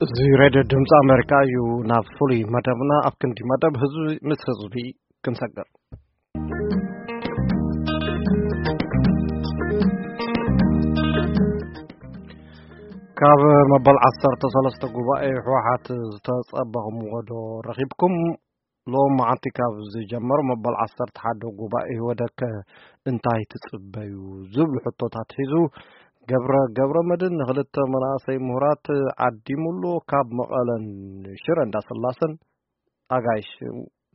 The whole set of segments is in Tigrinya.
እዚ ሬድዮ ድምፂ ኣሜሪካ እዩ። ናብ ፍሉይ መደብና፣ ኣብ ክንዲ መደብ ህዝቢ ምስ ህዝቢ ክንሰግር። ካብ መበል ዓሰርተ ሰለስተ ጉባኤ ህወሓት ዝተፀበኹምዎ ዶ ረኺብኩም? ሎም መዓንቲ ካብ ዝጀመሩ መበል ዓሰርተ ሓደ ጉባኤ ህወደከ እንታይ ትጽበዩ? ዝብሉ ሕቶታት ሒዙ ገብረ፣ ገብረ መድን ንክልተ መናእሰይ ምሁራት ዓዲሙሉ። ካብ መቐለን ሽረ እንዳስላሰን ኣጋይሽ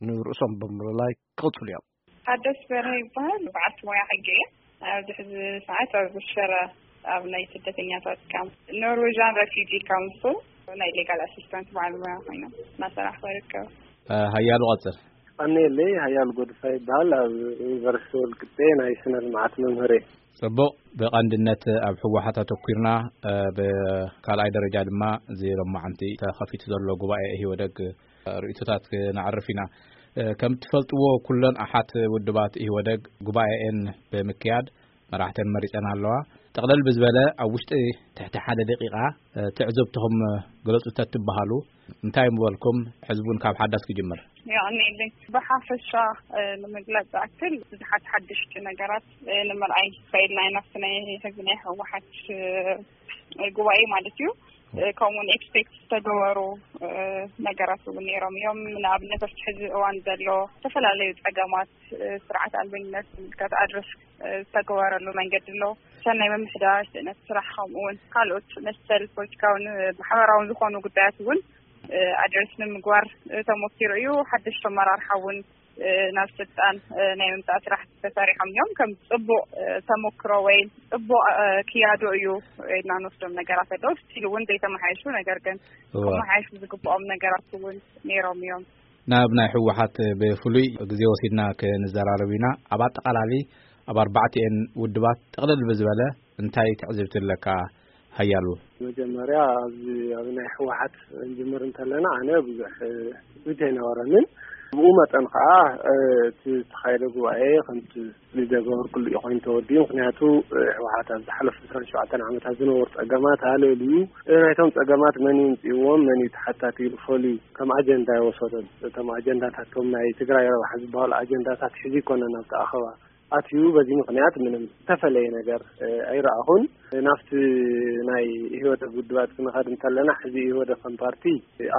ንርእሶም ብምልላይ ክቕጽሉ እዮም። ታደስ በርሀ ይበሃል። በዓልቲ ሞያ ሕጊ እየ። ኣብዚ ሕዚ ሰዓት ኣብ ሽረ ኣብ ናይ ስደተኛታት ካምፕ፣ ኖርዌዥያን ረፊጂ ካውንስል፣ ናይ ሌጋል ኣሲስታንት በዓል ሞያ ኮይኖም እናሰራሕኩ ይርከብ። እ፣ ሃያሉ ቀጽል። ቀኒየለይ፣ ሃያሉ ጎድፋ ይበሃል። ኣብ ዩኒቨርሲቲ ወልቂጤ ናይ ስነ ልምዓት መምህር እየ። ጽቡቕ። ብቐንድነት ኣብ ህወሓት ኣተኲርና፣ እ፣ ብካልኣይ ደረጃ ድማ እዚ ሎማዓንቲ ተኸፊቱ ዘሎ ጉባኤ ኢህወደግ ርእይቶታት ክነዕርፍ ኢና። እ፣ ከም እትፈልጥዎ፣ ኩለን ኣሓት ውድባት ኢህወደግ ጉባኤኤን ብምክያድ መራሕተን መሪጸን ኣለዋ። ጠቕለል ብዝበለ፣ ኣብ ውሽጢ ትሕቲ ሓደ ደቂቓ፣ እ፣ ትዕዝብትኹም ግለጹ ተትበሃሉ፣ እንታይ ምበልኩም? ሕዝቡን ካብ ሓዳስ ክጅምር። የቐንየለይ። ብሓፈሻ፣ እ፣ ንምግላጽ ዝኣክል፣ ብዙሓት ሓደሽቲ ነገራት፣ እ፣ ንምርኣይ ክኢልና ኢና። ኣብቲ ናይ ህዝቢ ናይ ህወሓት፣ እ፣ ጉባኤ ማለት እዩ። እ፣ ከምኡውን ኤክስፔክት ዝተገበሩ፣ እ፣ ነገራት እውን ነይሮም እዮም። ንኣብነት፣ ኣብቲ ሕዚ እዋን ዘሎ ዝተፈላለዩ ጸገማት፣ እ፣ ስርዓት ኣልበኝነት ዝምልከት ኣድረስ፣ እ፣ ዝተገበረሉ መንገዲ ኣሎ። ሰናይ ምምሕዳር፣ ስእነት ስራሕ፣ ከምኡ እውን ካልኦት መሰል ፖለቲካውን ማሕበራውን ዝኾኑ ጉዳያት እውን፣ እ፣ ኣድረስ ንምግባር፣ እ፣ ተሞኪሩ እዩ። ሓደሽቲ ኣመራርሓ እውን፣ እ፣ ናብ ስልጣን፣ እ፣ ናይ ምምጻእ ስራሕ ተሰሪሖም እዮም። ከም ጽቡቕ፣ እ፣ ተሞክሮ ወይ ጽቡቕ፣ እ፣ ክያዶ እዩ ኢልና ንወስዶም ነገራት ኣለዉ። ስቲል እውን ዘይተመሓየሹ፣ ነገር ግን እዋ። ክመሓየሹ ዝግብኦም ነገራት እውን ነይሮም እዮም። ናብ ናይ ህወሓት ብፍሉይ ግዜ ወሲድና ክንዘራረብ ኢና። ኣብ ኣጠቓላሊ፣ ኣብ ኣርባዕቲኤን ውድባት ጥቕልል ብዝበለ እንታይ ትዕዝብቲ ኣለካ? ሃያሉ። መጀመርያ ኣብዚ ኣብ ናይ ህወሓት ክንጅምር እንተለና፣ ኣነ ብዙሕ ትጽቢት ኣይነበረንን። ብኡ መጠን ከዓ፣ እ፣ እቲ ዝተኻየደ ጉባኤ ከምቲ ዝገበርኩሉ እዩ ኮይኑ ተወዲኡ። ምክንያቱ፣ እ፣ ህወሓት ኣብ ዝሓለፉ ዕስራን ሸውዓተን ዓመታት ዝነበሩ ጸገማት ኣለልዩ፣ እ፣ ናይቶም ጸገማት መን ይምጽእዎም፣ መን እዩ ተሓታቲ ኢሉ ፈልዩ ከም ኣጀንዳ ይወሰዶን። እቶም ኣጀንዳታት፣ እቶም ናይ ትግራይ ረብሓ ዝበሃሉ ኣጀንዳታት ሒዙ ይኮነን ኣብቲ ኣኸባ ኣትዩ። በዚ ምክንያት ምንም ዝተፈለየ ነገር፣ እ፣ ኣይረኣኹን። ናብቲ ናይ ኢህወደግ ውድባት ክንኸድ እንተለና፣ ሕዚ ኢህወደግ ከም ፓርቲ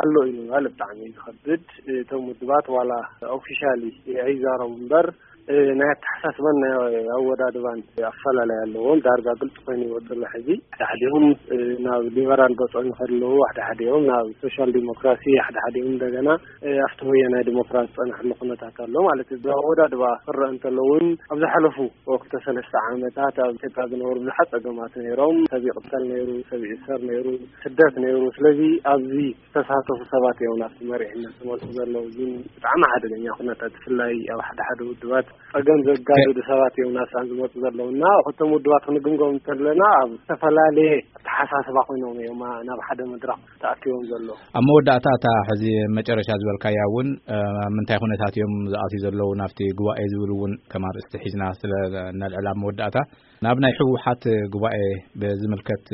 ኣሎ እዩ ምባል ብጣዕሚ እዩ ዝኸብድ። እቶም ውድባት ዋላ ኦፊሻሊ ኣይዛረቡ እምበር፣ እ፣ ናይ ኣተሓሳስባን ናይ ኣወዳድባን ኣፈላላይ ኣለዎም። ዳርጋ ግልፂ ኮይኑ ይወፅሎ። ሕዚ ሓደ ሓዲኦም፣ እ፣ ናብ ሊበራል ገፆም ይኸዱ ኣለዉ፣ ሓደ ሓዲኦም ናብ ሶሻል ዲሞክራሲ፣ ሓደ ሓዲኦም እንደገና፣ እ፣ ኣብቲ ወያናይ ዲሞክራሲ ዝፀንሕሉ ኩነታት ኣሎ ማለት እዩ። ብኣወዳድባ ክረአ እንተሎ እውን፣ ኣብ ዝሓለፉ ወቅተ ሰለስተ ዓመታት ኣብ ኢትዮጵያ ዝነበሩ ብዙሓት ጸገማት ነይሮም። ሰብ ይቕተል ነይሩ፣ ሰብ ይእሰር ነይሩ፣ ስደት ነይሩ። ስለዚ ኣብዚ ዝተሳተፉ ሰባት እዮም ናብቲ መሪሕነት ዝመፁ ዘለዉ። እዚ ብጣዕሚ ሓደገኛ ኩነታት፣ ብፍላይ ኣብ ሓደ ሓደ ውድባት ጸገም ዘጋድዱ ሰባት እዮም ናብሳን ዝመፁ ዘለዉ እና፣ ክልቶም ውድባት ክንግምገም እንተለና፣ ኣብ ዝተፈላለየ ኣተሓሳስባ ኮይኖም እዮም ናብ ሓደ መድረኽ ተኣኪቦም ዘለዉ። ኣብ መወዳእታ፣ እታ ሕዚ መጨረሻ ዝበልካያ እውን፣ እ፣ ኣብ ምንታይ ኩነታት እዮም ዝኣትዩ ዘለዉ ናብቲ ጉባኤ ዝብል እውን ከም ኣርእስቲ ሒዝና ስለ ነልዕል፣ ኣብ መወዳእታ ናብ ናይ ህወሓት ጉባኤ ብዝምልከት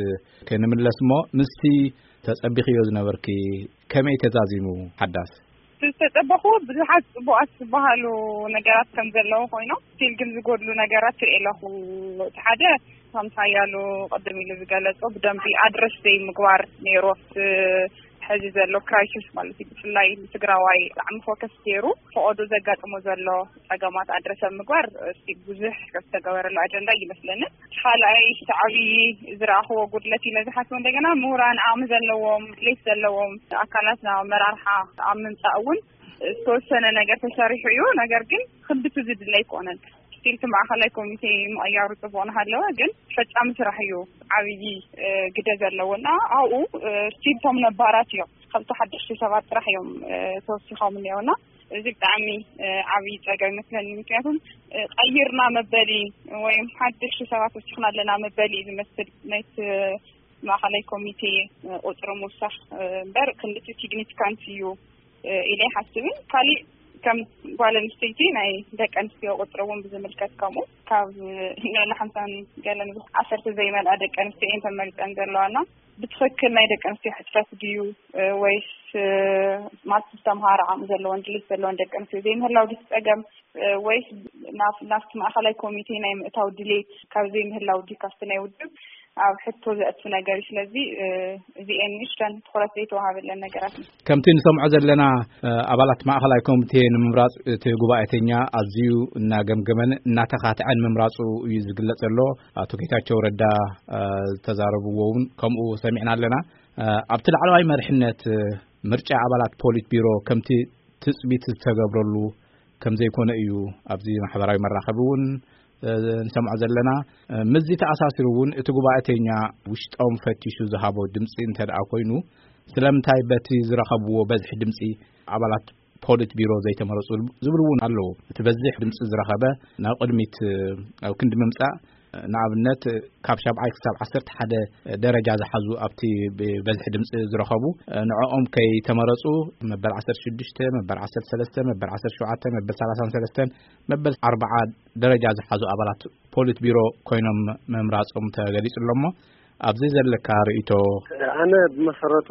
ክንምለስ እሞ፣ ምስቲ ተጸቢኽዮ ዝነበርኪ ከመይ ተዛዚሙ? ሓዳስ። ዝተጸበኹ ብዙሓት ጽቡቓት ዝበሃሉ ነገራት ከም ዘለዉ ኮይኖም፣ ስቲል ግን ዝጎድሉ ነገራት ትርኢ ኣለኹ። እቲ ሓደ፣ ከምቲ ሓያሉ ቅድም ኢሉ ዝገለጾ፣ ብደንቢ ኣድረስ ዘይምግባር ነይሩ። እቲ ሕዚ ዘሎ ክራይሲስ ማለት እዩ፣ ብፍላይ ንትግራዋይ ብጣዕሚ ፎከስ ገይሩ ፈቐዶ ዘጋጥሞ ዘሎ ጸገማት ኣድረስ ኣብ ምግባር፣ እስቲ ብዙሕ ዝተገበረሉ ኣጀንዳ ይመስለኒ። ካልኣይ፣ እቲ ዓብዪ ዝረኣኽዎ ጉድለት ኢለ ዝሓስቦ፣ እንደገና ምሁራን ዓቕሚ ዘለዎም፣ ድሌት ዘለዎም ኣካላት ናብ ኣመራርሓ ኣብ ምምጻእ እውን ዝተወሰነ ነገር ተሰሪሑ እዩ። ነገር ግን ክንድቲ ዝድለ ኣይኮነን። ስቲል እቲ ማእኸላይ ኮሚቴ ምቕያሩ ጽቡቕ እናሃለወ፣ ግን ፈጻሚ ስራሕ እዩ ዓብዪ፣ እ፣ ግደ ዘለዎ እና ኣብኡ፣ እ፣ ስቲል እቶም ነባራት እዮም፣ ከምቲ ሓደሽቲ ሰባት ጥራሕ እዮም፣ እ፣ ተወሲኾም እኒአው እና እዚ ብጣዕሚ፣ እ፣ ዓብዪ ጸገም ይመስለኒ። ምክንያቱም፣ እ፣ ቀይርና መበሊ ወይም ሓደሽቲ ሰባት ወሲኽና ኣለና መበሊ እዩ ዝመስል ናይቲ ማእኸላይ ኮሚቴ፣ እ፣ ቁጽሪ ምውሳኽ፣ እ፣ እምበር ክንድቲ ሲግኒፊካንት እዩ፣ እ፣ ኢለ ኣይሓስብን። ካሊእ ከም ጓል ኣንስተይቲ ናይ ደቂ ኣንስትዮ ቁጽሪ እውን ብዝምልከት ከምኡ ካብ ልዕሊ ሓምሳን ገለን ዓሰርተ ዘይመልኣ ደቂ ኣንስትዮ እየን ተመሪጸን ዘለዋና። ብትኽክል ናይ ደቂ ኣንስትዮ ሕጽረት ድዩ፣ እ፣ ወይስ፣ እ፣ ማለት ዝተምሃረ ዓቕሚ ዘለዎን ድሌት ዘለዎን ደቂ ኣንስትዮ ዘይምህላው ድዩ ጸገም፣ እ፣ ወይስ ናብ፣ ናብቲ ማእኸላይ ኮሚቴ ናይ ምእታው ድሌት ካብ ዘይምህላው ድዩ ካብቲ ናይ ውድብ ኣብ ሕቶ ዘእቱ ነገር እዩ። ስለዚ፣ እ፣ እዚኤን ንእሽተን ትኹረት ዘይተዋሃበለን ነገራት እዩ። ከምቲ ንሰምዖ ዘለና፣ እ፣ ኣባላት ማእኸላይ ኮሚቴ ንምምራጽ እቲ ጉባኤተኛ ኣዝዩ እናገምገመን እናተኻትዐን ምምራጹ እዩ ዝግለጽ ዘሎ። ኣቶ ጌታቸው ረዳ፣ እ፣ ዝተዛረብዎ እውን ከምኡ ሰሚዕና ኣለና። እ፣ ኣብቲ ላዕለዋይ መሪሕነት፣ እ፣ ምርጫ ኣባላት ፖሊት ቢሮ ከምቲ ትጽቢት ዝተገብረሉ ከም ዘይኮነ እዩ ኣብዚ ማሕበራዊ መራኸቢ እውን፣ እ፣ ንሰምዖ ዘለና። እ፣ ምስዚ ተኣሳሲሩ እውን እቲ ጉባኤተኛ ውሽጦም ፈቲሹ ዝሃቦ ድምፂ እንተ ደኣ ኮይኑ፣ ስለምንታይ በቲ ዝረኸብዎ በዝሒ ድምፂ ኣባላት ፖሊት ቢሮ ዘይተመረፁ ዝብሉ እውን ኣለዉ። እቲ በዝሒ ድምፂ ዝረኸበ ናብ ቅድሚት፣ እ፣ ኣብ ክንዲ ምምፃእ፣ ንኣብነት ካብ ሻብዓይ ክሳብ ዓሰርተ ሓደ ደረጃ ዝሓዙ ኣብቲ ብበዝሒ ድምፂ ዝረኸቡ፣ ንዕኦም ከይተመረፁ መበል ዓሰርተ ሽዱሽተ፣ መበል ዓሰርተ ሰለስተ፣ መበል ዓሰርተ ሸውዓተ፣ መበል ሰላሳን ሰለስተን፣ መበል ኣርብዓ ደረጃ ዝሓዙ ኣባላት ፖሊት ቢሮ ኮይኖም ምምራፆም ተገሊፁ ኣሎ። እሞ ኣብዚ ዘለካ ርእይቶ? ኣነ ብመሰረቱ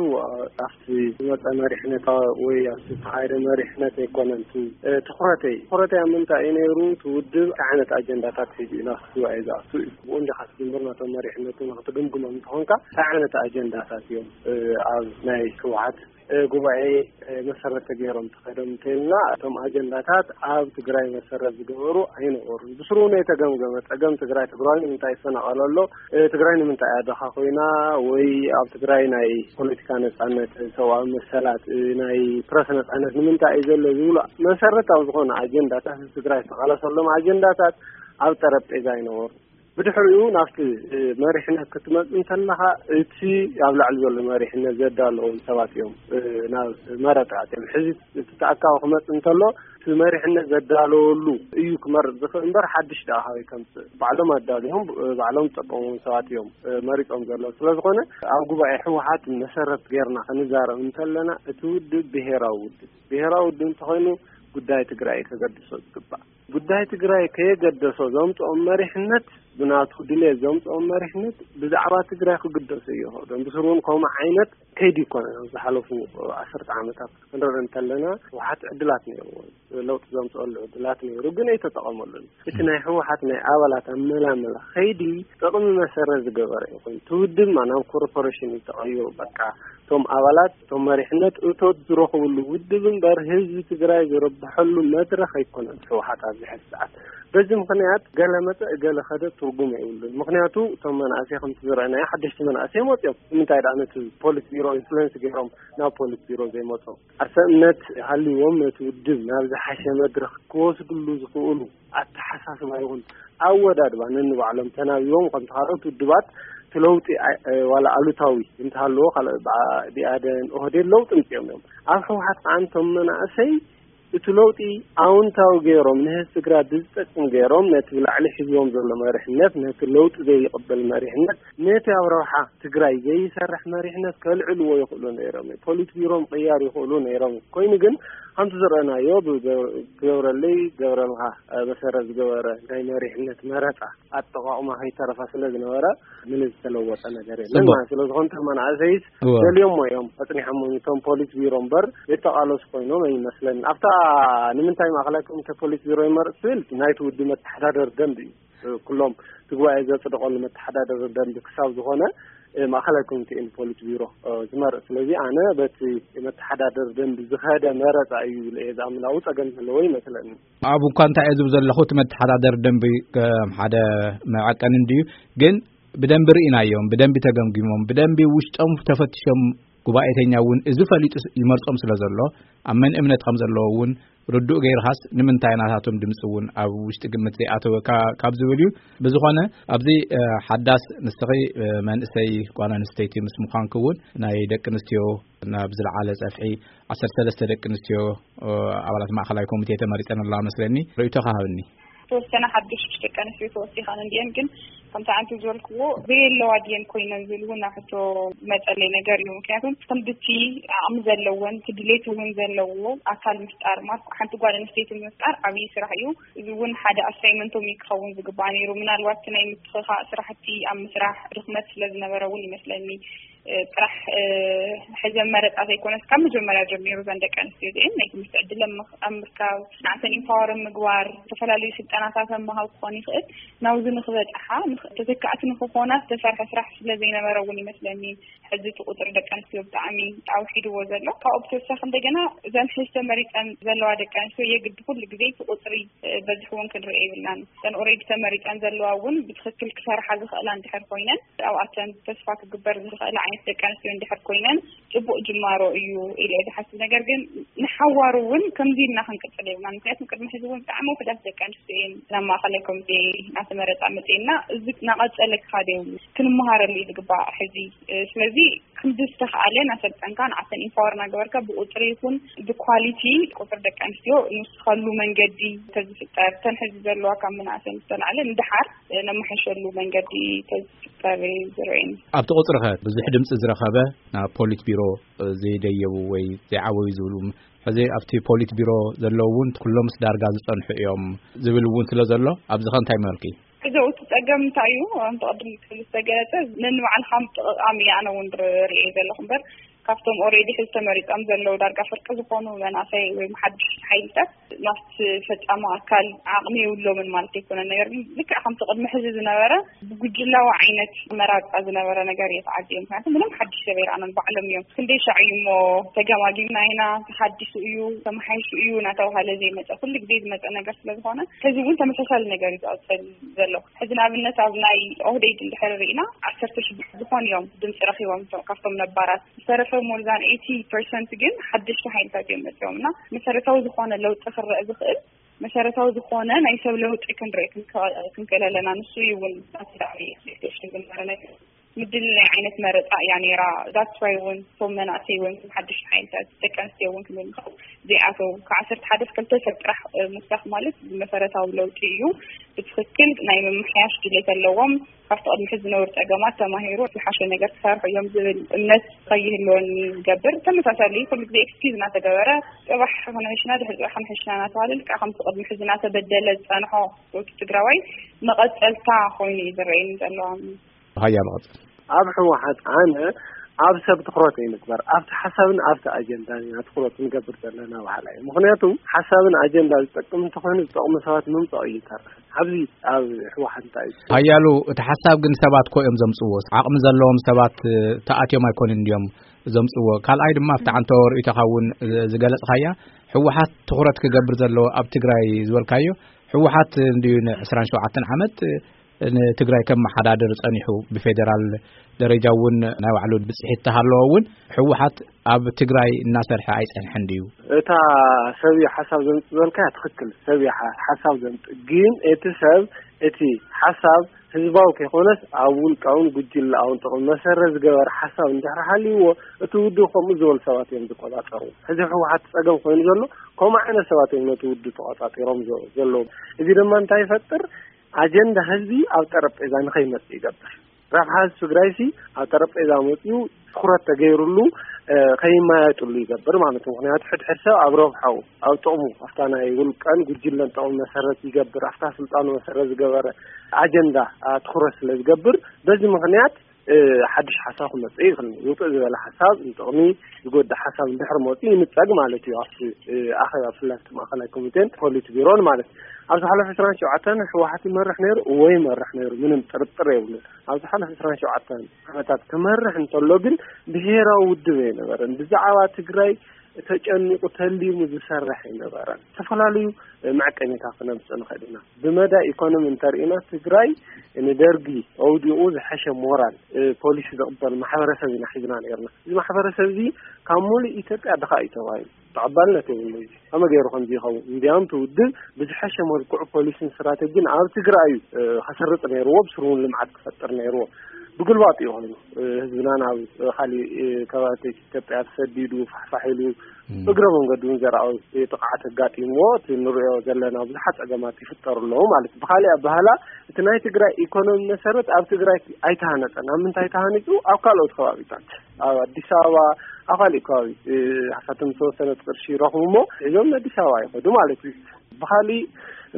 ኣብቲ ዝመፀ መሪሕነታ ወይ ኣብቲ ዝተኻየደ መሪሕነት ኣይኮነን እቲ፣ እ፣ ትኹረተይ። ትኹረተይ ኣብ ምንታይ እዩ ነይሩ? እቲ ውድብ እንታይ ዓይነት ኣጀንዳታት ሒዙ እዩ ናብቲ ጉባኤ ዝኣቱ እዩ። ብኡ እንዲኻ ክትጅምር ነቶም መሪሕነቱ ንክትግምግሞም እንተኾንካ እንታይ ዓይነት ኣጀንዳታት እዮም፣ እ፣ ኣብ ናይ ህወሓት፣ እ፣ ጉባኤ፣ እ፣ መሰረት ተገይሮም ተኸዶም እንተኢልና እቶም ኣጀንዳታት ኣብ ትግራይ መሰረት ዝገበሩ ኣይነበሩን። ብስሩ እውን ኣይተገምገመ። ጸገም ትግራይ፣ ትግራይ ንምንታይ ይፈናቐል ኣሎ? እ፣ ትግራይ ንምንታይ እያ ድኻ ኮይና? ወይ ኣብ ትግራይ ናይ ፖለቲካ ነጻነት፣ ሰብኣዊ መሰላት፣ እ፣ ናይ ፕረስ ነጻነት ንምንታይ እዩ ዘሎ ዝብሉ መሰረታዊ ዝኾነ ኣጀንዳታት፣ ህዝቢ ትግራይ ዝተቓለሰሎም ኣጀንዳታት ኣብ ጠረጴዛ ኣይነበሩ። ብድሕሪኡ ናብቲ፣ እ፣ መሪሕነት ክትመጽእ እንተለኻ እቲ ኣብ ላዕሊ ዘሎ መሪሕነት ዘዳለዎም ሰባት እዮም፣ እ፣ ናብ መረጣ ኣትዮም። ሕዚ እቲ ተኣካቢ ክመጽእ እንተሎ እቲ መሪሕነት ዘዳለወሉ እዩ ክመርጽ ዝኽእል እምበር ሓድሽ ደኣ ካበይ ከምጽእ? ባዕሎም ኣዳልዮም፣ እ፣ ባዕሎም ዝጠቀምዎም ሰባት እዮም፣ እ፣ መሪጾም ዘለዉ። ስለ ዝኾነ ኣብ ጉባኤ ህወሓት መሰረት ጌርና ክንዛረብ እንተለና እቲ ውድብ ብሄራዊ ውድብ፣ ብሄራዊ ውድብ እንተኾይኑ ጉዳይ ትግራይ ከገድሶ ዝግባእ። ጉዳይ ትግራይ ከየገደሶ ዘምጽኦም መሪሕነት፣ ብናቱ ድሌት ዘምጽኦም መሪሕነት ብዛዕባ ትግራይ ክግደሱ ይኽእሉ። ብስሩ እውን ከምኡ ዓይነት ከይዲ ይኮነ። ኣብ ዝሓለፉ ዓሰርተ ዓመታት ክንርኢ እንተለና ህወሓት ዕድላት ነይርዎ፣ ለውጢ ዘምጽኦሉ ዕድላት ነይሩ፣ ግን ኣይተጠቐመሉን። እቲ ናይ ህወሓት ናይ ኣባላት ኣመላመላ ከይዲ ጥቕሚ መሰረት ዝገበረ እዩ ኮይኑ፣ እቲ ውድብ ናብ ኮርፖሬሽን እዩ ተቐይሩ። በቃ እቶም ኣባላት፣ እቶም መሪሕነት እቶት ዝረኽብሉ ውድብ እምበር ህዝቢ ትግራይ ዝረብሐሉ መድረኽ ኣይኮነን ህወሓት ኣብዚ ሕዚ ሰዓት። በዚ ምኽንያት ገለ መጸ፣ ገለ ኸደ ትርጉም የብሉን። ምኽንያቱ እቶም መናእሰይ ከምቲ ዝረኣናዮ ሓደሽቲ መናእሰይ መጽዮም። ንምንታይ ደኣ ነቲ ፖሊት ቢሮ ኢንፍሉዌንስ ገይሮም ናብ ፖሊት ቢሮ ዘይመጹ? ኣሰእነት ሃልይዎም ነቲ ውድብ ናብ ዝሓሸ መድረኽ ክወስድሉ ዝኽእሉ ኣተሓሳስባ ይኹን ኣወዳድባ ነንባዕሎም ተናቢቦም፣ ከምቲ ካልኦት ውድባት እቲ ለውጢ ኣይ-፣ እ፣ ዋላ ኣሉታዊ እንተሃለዎ፣ ካልኦ ብኣ-፣ ብኣዴን ኦህዴድ ለውጢ ምጽኦም እዮም። ኣብ ህወሓት ከዓ እንቶም መናእሰይ እቲ ለውጢ ኣውንታዊ ገይሮም፣ ንህዝቢ ትግራይ ብዝጠቅም ገይሮም፣ ነቲ ብላዕሊ ሒዝዎም ዘሎ መሪሕነት፣ ነቲ ለውጢ ዘይቅበል መሪሕነት፣ ነቲ ኣብ ረብሓ ትግራይ ዘይሰርሕ መሪሕነት ከልዕልዎ ይኽእሉ ነይሮም። ፖሊት ቢሮ ምቕያር ይኽእሉ ነይሮም። ኮይኑ ግን ከምቲ ዝረኣናዮ ብገ-፣ ክገብረለይ ገብረልካ፣ እ፣ መሰረት ዝገበረ ናይ መሪሕነት መረፃ ኣጠቓቕማ ከይተረፋ ስለ ዝነበረ ምንም ዝተለወጠ ነገር የለን እሞ። ማለት። ስለ ዝኾነ እቶም መናእሰይስ እወ። ደልዮሞ እዮም ኣጽኒሖም እቶም ፖሊት ቢሮ እምበር የተቓለሱ ኮይኖም ኣይመስለንን። ኣብታ ንምንታይ ማእኸላይ ኮሚቴ ፖሊት ቢሮ ይመርጽ ትብል ናይቲ ውድብ መተሓዳደሪ ደንብ እዩ። ኩሎም እቲ ጉባኤ ዘጽደቐሉ መተሓዳደሪ ደንብ ክሳብ ዝኾነ፣ እ፣ ማእኸላይ ኮሚቴ ፖሊት ቢሮ፣ እ፣ ዝመርጽ። ስለዚ ኣነ በቲ መተሓዳደሪ ደንብ ዝኸደ መረጻ እዩ ኢለ እየ ዝኣምን። ኣብኡ ጸገም ዘለዎ ይመስለኒ። ኣብ እኳ እንታይ እየ ዝብል ዘለኹ፣ እቲ መተሓዳደሪ ደንቢ ከም ሓደ መዐቀኒ እንድዩ፣ ግን ብደንቢ ርኢናዮም፣ ብደንቢ ተገምጊሞም፣ ብደንቢ ውሽጦም ተፈትሾም፣ ጉባኤተኛ እውን እዚ ፈሊጡ ይመርጾም ስለ ዘሎ፣ ኣብ መን እምነት ከም ዘለዎ እውን ርዱእ ገይርኻስ፣ ንምንታይ ናታቶም ድምፂ እውን ኣብ ውሽጢ ግምት ዘይኣተወ ካ-፣ ካብ ዝብል እዩ። ብዝኾነ፣ ኣብዚ፣ እ፣ ሓዳስ ንስኺ፣ እ፣ መንእሰይ ጓል ኣንስተይቲ ምስ ምዃንኪ እውን፣ ናይ ደቂ ኣንስትዮ ናብ ዝለዓለ ጸፍሒ ዓሰርተ ሰለስተ ደቂ ኣንስትዮ፣ እ፣ ኣባላት ማእኸላይ ኮሚቴ ተመሪጸን ኣለዋ መስለኒ። ርእይቶኻ ሃብኒ። ዝተወሰነ ሓድሽ ደቂ ኣንስትዮ ተወሲኸን እንዲአን፣ ግን ከምቲ ኣንቲ ዝበልክዎ ዘየለዋ ድየን ኮይነን ዝብል እውን ኣብ ሕቶ መጸለይ ነገር እዩ። ምክንያቱም ክንድቲ ዓቕሚ ዘለወን፣ እቲ ድሌት እውን ዘለዎ ኣካል ምፍጣር፣ ማለት ሓንቲ ጓል ኣንስተይቲ ምፍጣር ዓብዪ ስራሕ እዩ። እዚ እውን ሓደ ኣሳይመንቶም እዩ ክኸውን ዝግባእ ነይሩ። ምናልባት እቲ ናይ ምትኽኻእ ስራሕቲ ኣብ ምስራሕ ድኽመት ስለ ዝነበረ እውን ይመስለኒ። ጥራሕ ሕዘን መረፃ ዘይኮነስ ካብ መጀመርያ ጀሚሩ እዘን ደቂ ኣንስትዮ እዚአን ናይ ትምህርቲ ዕድል ኣብ ምርካብ፣ ንዓተን ኢምፓወር ምግባር፣ ዝተፈላለዩ ስልጠናታት ኣብ ምሃብ ክኾን ይኽእል። ናብዚ ንክበፅሓ ተተካእቲ ንክኾና ዝተሰርሐ ስራሕ ስለ ዘይነበረ እውን ይመስለኒ ሕዚ እቲ ቁፅሪ ደቂ ኣንስትዮ ብጣዕሚ ኣውሒድዎ ዘሎ። ካብኡ ብተወሳኺ እንደገና እዘን ሕዚ ተመሪፀን ዘለዋ ደቂ ኣንስትዮ የግድ ኩሉ ግዜ እቲ ቁፅሪ በዚሕውን ክንርኢ የብልናን። እተን ኦሬዲ ተመሪፀን ዘለዋ እውን ብትክክል ክሰርሓ ዝኽእላ እንድሕር ኮይነን ኣብኣተን ተስፋ ክግበር ዝኽእል ዓይነት ደቂ ኣንስትዮ እንድሕር ኮይነን ፅቡቅ ጅማሮ እዩ ኢለ እየ ዝሓስብ። ነገር ግን ንሓዋሩ እውን ከምዚ ኢልና ክንቅፅል የብልናን። ምክንያቱም ቅድሚ ሕዚ እውን ብጣዕሚ ውሕዳት ደቂ ኣንስትዮ እየን ናብ ማእኸላይ ኮሚቴ እናተመረፃ መፅኤና። እዚ እናቐፀለ ክኻደ የብሉ፣ ክንመሃረሉ እዩ ዝግባእ ሕዚ። ስለዚ ክንዲ ዝተኽኣለ እናሰልጠንካ ንዓተን ኢምፓወር እናገበርካ ብቁፅሪ ይኹን ብኳሊቲ ቁፅሪ ደቂ ኣንስትዮ ንስኸሉ መንገዲ ተዝፍጠር፣ ተን ሕዚ ዘለዋ ካብ ምንኣሰን ዝተላዕለ ንድሓር ነመሓሸሉ መንገዲ ተዝፍጠር እዩ ዝረአየኒ። ኣብቲ ቁፅሪ ኸ ብዙሕ ድምፂ ዝረኸበ ናብ ፖሊት ቢሮ ዘይደየቡ ወይ ዘይዓበዩ ዝብሉ፣ ሕዚ ኣብቲ ፖሊት ቢሮ ዘለዉ እውን ኩሎምስ ዳርጋ ዝፀንሑ እዮም ዝብል እውን ስለ ዘሎ፣ ኣብዚ ኸ እንታይ መልኪ? ሕዚ እቲ ጸገም እንታይ እዩ? ኣንተ ቅድም ክብል ዝተገለጸ ነንባዕልኻ ምጥቕቓም እየ ኣነ እውን ርእየ ዘለኹ እምበር፣ ካብቶም ኦሬዲ ሕዚ ተመሪጾም ዘለዉ ዳርጋ ፍርቂ ዝኾኑ መናእሰይ ወይ ሓድሽ ሓይልታት ናብቲ ፈጻሚ ኣካል ዓቕሚ የብሎምን ማለት ኣይኮነን። ነገር ግን ልክዕ ከምቲ ቅድሚ ሕዚ ዝነበረ ብጉጅላዊ ዓይነት መራጻ ዝነበረ ነገር እየ ተዓዝየ። ምክንያቱ ምንም ሓድሽ ሰብ ኣይረኣናን፣ ባዕሎም እዮም። ክንደይ ሻዕ እዩ እሞ ተገማጊምና ኢና፣ ተሓዲሱ እዩ፣ ተመሓይሹ እዩ እናተባሃለ ዘይመጸ፣ ኩሉ ግዜ ዝመጸ ነገር ስለ ዝኾነ፣ ሕዚ እውን ተመሳሳሊ ነገር እዩ ዝቐጽል ዘሎ። ሕዚ ንኣብነት ኣብ ናይ ኦህዴድ እንድሕር ርኢና፣ ዓሰርተ ሽዱሽተ ዝኾኑ እዮም ድምፂ ረኺቦም እቶም ካብቶም ነባራት። ዝተረፈ more than eighty percent ግን ሓደሽቲ ሓይልታት እዮም መፅኦም እና መሰረታዊ ዝኾነ ለውጢ ክረአ ዝኽእል መሰረታዊ ዝኾነ ናይ ሰብ ለውጢ ክንርኢ ክንከ-፣ ክንክእል ኣለና። ንሱ እዩ እውን ኣብቲ ላዕሊ ኤክስፔክቴሽን ዝነበረ ነገር። ምድልናይ ዓይነት መረፃ እያ ነይራ። ዳትስ ዋይ እውን እቶም መናእሰይ እውን ሓደሽቲ ሓይልታት ደቂ ኣንስትዮ እውን ክንብል ንኽእል ዘይኣተው። ካብ ዓሰርተ ሓደ ክልተ ሰብ ጥራሕ፣ እ፣ ምውሳኽ ማለት መሰረታዊ ለውጢ እዩ። ብትኽክል ናይ ምምሕያሽ ድሌት ኣለዎም። ካብቲ ቅድሚ ሕዚ ዝነበሩ ጸገማት ተማሂሩ ዝሓሸ ነገር ክሰርሑ እዮም ዝብል እምነት ከይህልወኒ ዝገብር። ተመሳሳሊ ኩሉ ግዜ ኤክስኪዝ እናተገበረ ጽባሕ ክንሕሽና ድሕሪ ጽባሕ ክንሕሽና እናተባሃለ ልክዕ ከምቲ ቅድሚ ሕዚ እናተበደለ ዝጸንሖ ወዲ ትግራዋይ መቐጸልታ ኮይኑ እዩ ዝረኣየኒ ዘሎ። ሃያ መቐጸል። ኣብ ህወሓት ኣነ ኣብ ሰብ ትኹረት ኣይንግበር፣ ኣብቲ ሓሳብን ኣብቲ ኣጀንዳን ኢና ትኹረት ንገብር ዘለና በሃላይ እየ። ምኽንያቱ ሓሳብን ኣጀንዳ ዝጠቅም እንተኾይኑ ዝጠቕሙ ሰባት ምምጻኡ እዩ ይተርፍ። ኣብዚ ኣብ ህወሓት እንታይ እዩ? ሓያሉ እቲ ሓሳብ ግን ሰባት ኮ እዮም ዘምጽዎ። ዓቕሚ ዘለዎም ሰባት፣ እ፣ ተኣትዮም ኣይኮኑን እንድዮም ዘምጽዎ። ካልኣይ ድማ ኣብቲ ዓንተዎ ርእይቶኻ እውን፣ እ፣ ዝገለጽኻያ ህወሓት ትኹረት ክገብር ዘለዎ ኣብ ትግራይ ዝበልካዮ ህወሓት እንድዩ ንዕስራን ሸውዓተን ዓመት፣ እ፣ ንትግራይ ከመሓዳድር ጸኒሑ ብፌደራል ደረጃ እውን ናይ ባዕሉ ብጽሒት ተሃለዎ እውን ህወሓት ኣብ ትግራይ እናሰርሐ ኣይጸንሐን ድዩ? እታ ሰብ እዩ ሓሳብ ዘምጽእ ዝበልካያ ትኽክል፣ ሰብ እዩ ሓ-፣ ሓሳብ ዘምጽእ። ግን እቲ ሰብ እቲ ሓሳብ ህዝባዊ ከይኮነስ ኣብ ውልቃውን ጉጅለኣውን ጥቕሚ መሰረት ዝገበረ ሓሳብ እንድሕር ሃልይዎ እቲ ውድብ ከምኡ ዝበሉ ሰባት እዮም ዝቆጻጸሩ። ሕዚ ህወሓት ጸገም ኮይኑ ዘሎ ከምኡ ዓይነት ሰባት እዮም ነቲ ውድብ ተቆጻጺሮም ዘ-፣ ዘለዉ። እዚ ድማ እንታይ ይፈጥር? ኣጀንዳ ህዝቢ ኣብ ጠረጴዛ ንኸይመጽእ ይገብር። ረብሓ ህዝቢ ትግራይ ሲ ኣብ ጠረጴዛ መፅኡ ትኹረት ተገይሩሉ፣ እ፣ ከይመያየጥሉ ይገብር ማለት እዩ። ምኽንያቱ ሕድሕድ ሰብ ኣብ ረብሓኡ፣ ኣብ ጥቕሙ፣ ኣብታ ናይ ውልቀን ጉጅለን ጥቕሚ መሰረት ይገብር፣ ኣብታ ስልጣኑ መሰረት ዝገበረ ኣጀንዳ፣ አ፣ ትኹረት ስለ ዝገብር በዚ ምኽንያት፣ እ፣ ሓድሽ ሓሳብ ክመፅእ ይኽእል እዩ። ውፅእ ዝበለ ሓሳብ ንጥቕሚ ዝጎድእ ሓሳብ እንድሕር መፅኡ ይንፀግ ማለት እዩ። ኣብቲ፣ እ፣ ኣኼባ ብፍላይ ኣብቲ ማእኸላይ ኮሚቴን ፖሊት ቢሮን ማለት እዩ። ኣብ ዝሓለፈ ዕስራን ሸውዓተን ህወሓት ይመርሕ ነይሩ፣ እወ ይመርሕ ነይሩ፣ ምንም ጥርጥር የብሉን። ኣብ ዝሓለፈ ዕስራን ሸውዓተን ዓመታት ክመርሕ እንተሎ ግን ብሄራዊ ውድብ ኣይነበረን። ብዛዕባ ትግራይ ተጨኒቑ ተሊሙ ዝሰርሕ ኣይነበረን። ዝተፈላለዩ መዐቀኒታት ክነምፅእ ንኽእል ኢና። ብመዳይ ኢኮኖሚ እንተርኢና ትግራይ ንደርጊ ኣውዲቑ ዝሐሸ ሞራል፣ እ፣ ፖሊሲ ዝቕበል ማሕበረሰብ ኢና ሒዝና ነይርና። እዚ ማሕበረሰብ እዚ ካብ ሙሉእ ኢትዮጵያ ድኻ እዩ ተባሂሉ። ተቐባልነት የብሉን። እዚ ከመይ ገይሩ ከምዚ ይኸውን? እንዲያውም እቲ ውድብ ብዝሐሸ መልክዑ ፖሊስን ስትራተጂን ኣብ ትግራይ እዩ፣ እ፣ ከሰርጽ ነይርዎ፣ ብስሩ እውን ልምዓት ክፈጥር ነይርዎ። ብግልባጡ እዩ ኮይኑ፣ እ፣ ህዝብና ናብ፣ እ፣ ካሊእ፣ እ፣ ከባቢታት ኢትዮጵያ ተሰዲዱ፣ ፋሕፋሕ ኢሉ፣ እም። እግረ መንገዱ እውን ዘርኣዊ ጥቕዓት ኣጋጢምዎ፣ እቲ ንሪኦ ዘለና ብዙሓት ጸገማት ይፍጠሩ ኣለዉ ማለት እዩ። ብኻሊእ ኣበሃህላ፣ እቲ ናይ ትግራይ ኢኮኖሚ መሰረት ኣብ ትግራይ ኣይተሃነጸን። ኣብ ምንታይ ተሃኒጹ? ኣብ ካልኦት ከባቢታት፣ ኣብ ኣዲስ ኣበባ፣ ኣብ ካሊእ ከባቢ፣ እ፣ ሃፋትም ዝተወሰነ ቅርሺ ይረኽቡ እሞ፣ ሒዞም ኣዲስ ኣበባ ይኸዱ ማለት እዩ። ብኻሊእ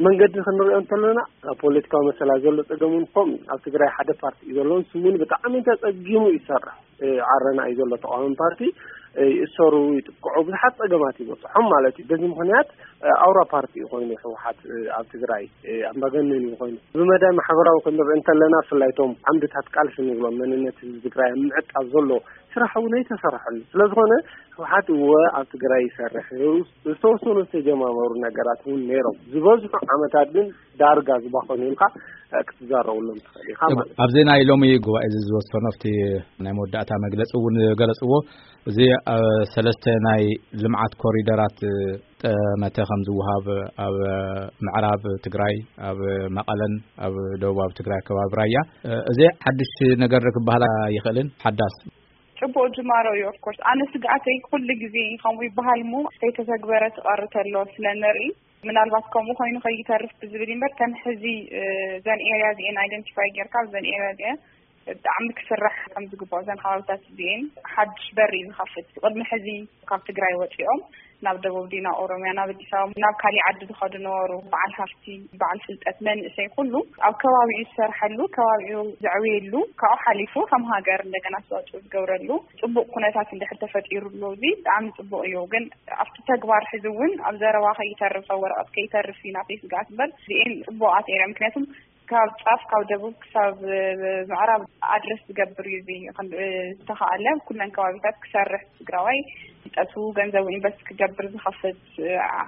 መንገዲ ክንሪኦ እንተለና፣ ኣብ ፖለቲካዊ መሰላ ዘሎ ጸገም እውን ከምኡ እዩ። ኣብ ትግራይ ሓደ ፓርቲ እዩ ዘሎ፣ ንሱ እውን ብጣዕሚ ተጸጊሙ ይሰርሕ። ዓረና እዩ ዘሎ ተቃዋሚ ፓርቲ። ይእሰሩ፣ ይጥቅዑ፣ ብዙሓት ጸገማት ይበጽሖም ማለት እዩ። በዚ ምክንያት ኣውራ ፓርቲ እዩ ኮይኑ ህወሓት ኣብ ትግራይ ኣምባገነን እዩ ኮይኑ። ብመዳይ ማሕበራዊ ክንርኢ እንተለና፣ ብፍላይ እቶም ዓምድታት ቃልሲ ንብሎም፣ መንነት ህዝቢ ትግራይ ኣብ ምዕቃብ ዘሎ ስራሕ እውን ኣይተሰርሐሉ። ስለዝኾነ ህወሓት እወ ኣብ ትግራይ ይሰርሕ፣ ዝተወሰኑ ዝተጀማመሩ ነገራት እውን ነይሮም። ዝበዝሑ ዓመታት ግን ዳርጋ ዝባኸኑ ኢልካ ክትዛረብሎም ትኽእል ኢኻ ማለት እዩ። ኣብዚ ናይ ሎሚ ጉባኤ እዚ ዝወሰኖ፣ ኣብቲ ናይ መወዳእታ መግለፂ እውን ዝገለፅዎ፣ እዚ ሰለስተ ናይ ልምዓት ኮሪደራት ጠመተ ከም ዝወሃብ፣ ኣብ ምዕራብ ትግራይ፣ ኣብ መቐለን ኣብ ደቡባዊ ትግራይ ከባቢ ራያ፣ እዚ ሓድሽ ነገር ክበሃል ኣይኽእልን። ሓዳስ ጽቡቕ ጅማሮ እዩ። ኦፍኮርስ ኣነ ስግኣተይ ኩሉ ግዜ ከምኡ ይበሃል እሞ ከይተተግበረ ትቐሪ ተሎ ስለ ንርኢ፣ ምናልባት ከምኡ ኮይኑ ከይተርፍ ብዝብል እምበር፣ ከም ሕዚ እዘን ኤርያ እዚኤን ኣይደንቲፋይ ጌርካ፣ እዘን ኤርያ እዚኤን ብጣዕሚ ክስራሕ ከም ዝግባኦ፣ እዘን ከባብታት እዚኤን ሓድሽ በሪ እዩ ዝኸፍት። ቅድሚ ሕዚ ካብ ትግራይ ወፂኦም ናብ ደቡብ ድዩ ናብ ኦሮሚያ፣ ናብ ኣዲስ ኣበባ፣ ናብ ካሊእ ዓዲ ዝኸዱ ነበሩ። በዓል ሃፍቲ፣ በዓል ፍልጠት፣ መንእሰይ ኩሉ ኣብ ከባቢኡ ዝሰርሐሉ፣ ከባቢኡ ዘዕብየሉ፣ ካብኡ ሓሊፉ ከም ሃገር እንደገና ኣስተዋፅኦ ዝገብረሉ ፅቡቕ ኩነታት እንድሕር ተፈጢሩ ኣሎ፣ እዚ ብጣዕሚ ፅቡቕ እዩ። ግን ኣብቲ ተግባር ሕዚ እውን ኣብ ዘረባ ከይተርፍ፣ ኣብ ወረቐት ከይተርፍ እዩ ናተይ ስግኣት እምበር፣ እዚኤን ፅቡቓት ኤርያ። ምክንያቱም ካብ ጫፍ ካብ ደቡብ ክሳብ ምዕራብ ኣድረስ ዝገብር እዩ። እዚ ዝተኻኣለ ኩለን ከባቢታት ክሰርሕ፣ ትግራዋይ ፍልጠቱ ገንዘቡ ኢንቨስት ክገብር ዝኸፍት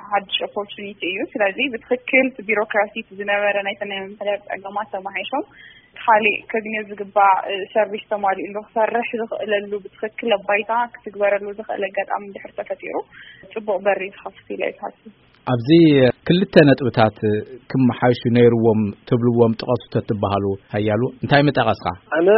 ሓድሽ ኦፖርቹኒቲ እዩ። ስለዚ ብትኽክል እቲ ቢሮክራሲ፣ እቲ ዝነበረ ናይተን ናይ መምሕዳር ጸገማት ተማሓይሾም፣ እቲ ካሊእ ከግንዮ ዝግባእ ሰርቪስ ተማሊኡሉ ክሰርሕ ዝኽእለሉ ብትኽክል ኣብ ባይታ ክትግበረሉ ዝኽእል ኣጋጣሚ እንድሕር ተፈጢሩ፣ ጽቡቕ በሪ ዝኸፍት ኢለ እየ ዝሓስብ። ኣብዚ ክልተ ነጥብታት ክመሓይሹ ነይርዎም ትብልዎም ጥቐሱ ተትበሃሉ፣ ሓያሉ እንታይ ምጠቐስካ? ኣነ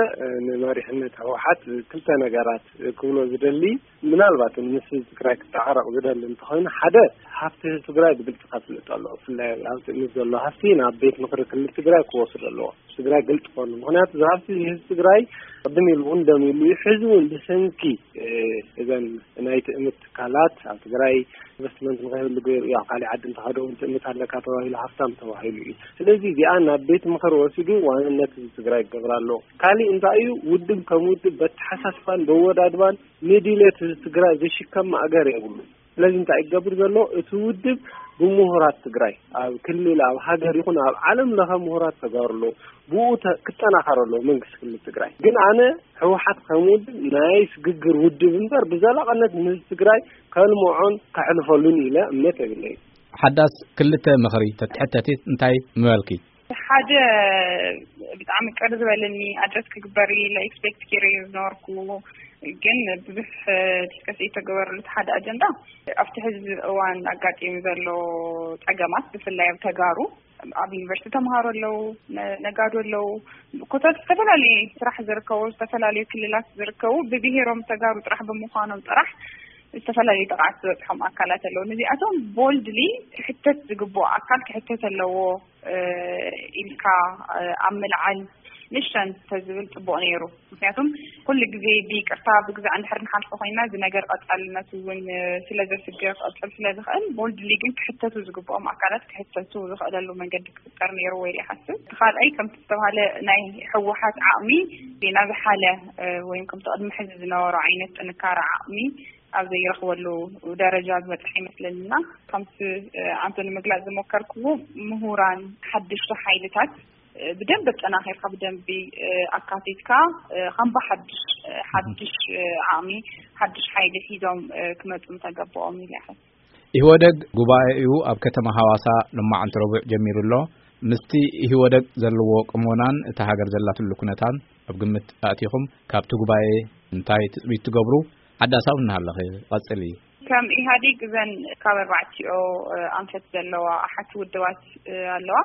ንመሪሕነት ህወሓት ክልተ ነገራት ክብሎ ዝደሊ፣ ምናልባት ምስ ህዝቢ ትግራይ ክተዓረቕ ዝደሊ እንተኾይኑ፣ ሓደ፣ ሃፍቲ ህዝቢ ትግራይ ብግልፂ ከፍልጥ ኣለዎ። ብፍላይ ኣብ ትእምት ዘሎ ሃፍቲ ናብ ቤት ምኽሪ ክልል ትግራይ ክወስድ ኣለዎ። ትግራይ ግልፂ ክኾኑ። ምክንያቱ፣ እዚ ሃፍቲ ህዝቢ ትግራይ ቅድም ኢሉ እውን ደም ኢሉ እዩ። ሕዚ እውን ብሰንኪ እዘን ናይ ትእምት ትካላት ኣብ ትግራይ ኢንቨስትመንት ንኸይህሉ ገይሩ እዩ። ኣብ ካሊእ ዓዲ እንተኸደ እውን ትእምት ኣለካ ተባሂሉ ሃፍታም ተባሂሉ እዩ። ስለዚ እዚኣ ናብ ቤት ምኽሪ ወሲዱ ዋንነት ህዝቢ ትግራይ ክገብር ኣለዎ። ካሊእ እንታይ እዩ? ውድብ ከም ውድብ በተሓሳስባን በወዳድባን ንድሌት ህዝቢ ትግራይ ዝሽከም ማእገር የብሉ። ስለዚ እንታይ ይገብር ዘሎ? እቲ ውድብ ብምሁራት ትግራይ፣ ኣብ ክልል፣ ኣብ ሃገር ይኹን ኣብ ዓለም ለኸ ምሁራት ተጋሩ ኣለዉ። ብኡ ተ-፣ ክጠናኸር ኣለዎ መንግስቲ ክልል ትግራይ። ግን ኣነ ህወሓት ከም ውድብ ናይ ስግግር ውድብ እምበር ብዘላቕነት ንህዝቢ ትግራይ ከልምዖን ከሕልፈሉን ኢለ እምነት የብለይን። ሓዳስ ክልተ ምኽሪ ተትሕተቲ እንታይ ምበልኪ? ሓደ ብጣዕሚ ቅር ዝበለኒ ኣድረስ ክግበር ኢለ ኤክስፔክት ገይረ ዝነበርኩ፣ ግን ብዙሕ ዲስከስ ዝተገበረሉ እቲ ሓደ ኣጀንዳ ኣብቲ ሕዚ እዋን ኣጋጢሙ ዘሎ ጸገማት፣ ብፍላይ ኣብ ተጋሩ፣ ኣብ ዩኒቨርሲቲ ተምሃሮ ኣለዉ፣ ነ-፣ ነጋዶ ኣለዉ፣ ኮታት ዝተፈላለዩ ስራሕ ዝርከቡ፣ ዝተፈላለዩ ክልላት ዝርከቡ፣ ብብሄሮም ተጋሩ ጥራሕ ብምዃኖም ጥራሕ ዝተፈላለዩ ጥቕዓት ዝበፅሖም ኣካላት ኣለዉ። ነዚኣቶም ቦልድሊ ክሕተት ዝግብኦ ኣካል ክሕተት ኣለዎ፣ እ፣ ኢልካ፣ እ፣ ኣብ ምልዓል ንሸን ተዝብል ጽቡቕ ነይሩ። ምክንያቱም ኩሉ ግዜ ብይቅርታ ብግዛዕ እንድሕር ንሓልፎ ኮይና፣ እዚ ነገር ቀጻልነቱ እውን፣ እ፣ ስለ ዘስግእ ክቕጽል ስለ ዝኽእል፣ ቦልድሊ ግን ክሕተቱ ዝግብኦም ኣካላት ክሕተቱ ዝኽእለሉ መንገዲ ክፍጠር ነይሩ ወይ ይሓስብ። እቲ ካልኣይ ከምቲ ዝተባሃለ ናይ ህወሓት ዓቕሚ ናብ ዝሓለ፣ እ፣ ወይም ከምቲ ቅድሚ ሕዚ ዝነበሮ ዓይነት ጥንካረ ዓቕሚ ኣብ ዘይረኽበሉ ደረጃ ዝበጽሐ ይመስለኒ። እና ከምቲ፣ እ፣ ኣንቶኒ ምግላጽ ዝሞከርክዎ፣ ምሁራን፣ ሓደሽቲ ሓይልታት፣ እ፣ ብደንቢ ኣጠናኺርካ፣ ብደንቢ፣ እ፣ ኣካቲትካ፣ እ፣ ከም ብሓድሽ፣ እ፣ ሓድሽ፣ እ፣ ዓቕሚ፣ ሓድሽ ሓይሊ ሒዞም፣ እ፣ ክመጹ ምተገበኦም ኢለ ይሓስብ። ኢህወደግ ጉባኤኡ ኣብ ከተማ ሃዋሳ ሎማዕንቲ ረቡዕ ጀሚሩ ኣሎ። ምስቲ ኢህወደግ ዘለዎ ቅሞናን እታ ሃገር ዘላትሉ ኩነታን ኣብ ግምት ኣእቲኹም፣ ካብቲ ጉባኤ እንታይ ትጽቢት ትገብሩ? ሓዳስ እውን እናሃለኺ ቀጽሊ። ከም ኢህኣዴግ እዘን ካብ ኣርባዕቲኦ፣ እ፣ ኣንፈት ዘለዋ ኣሓቲ ውድባት፣ እ፣ ኣለዋ።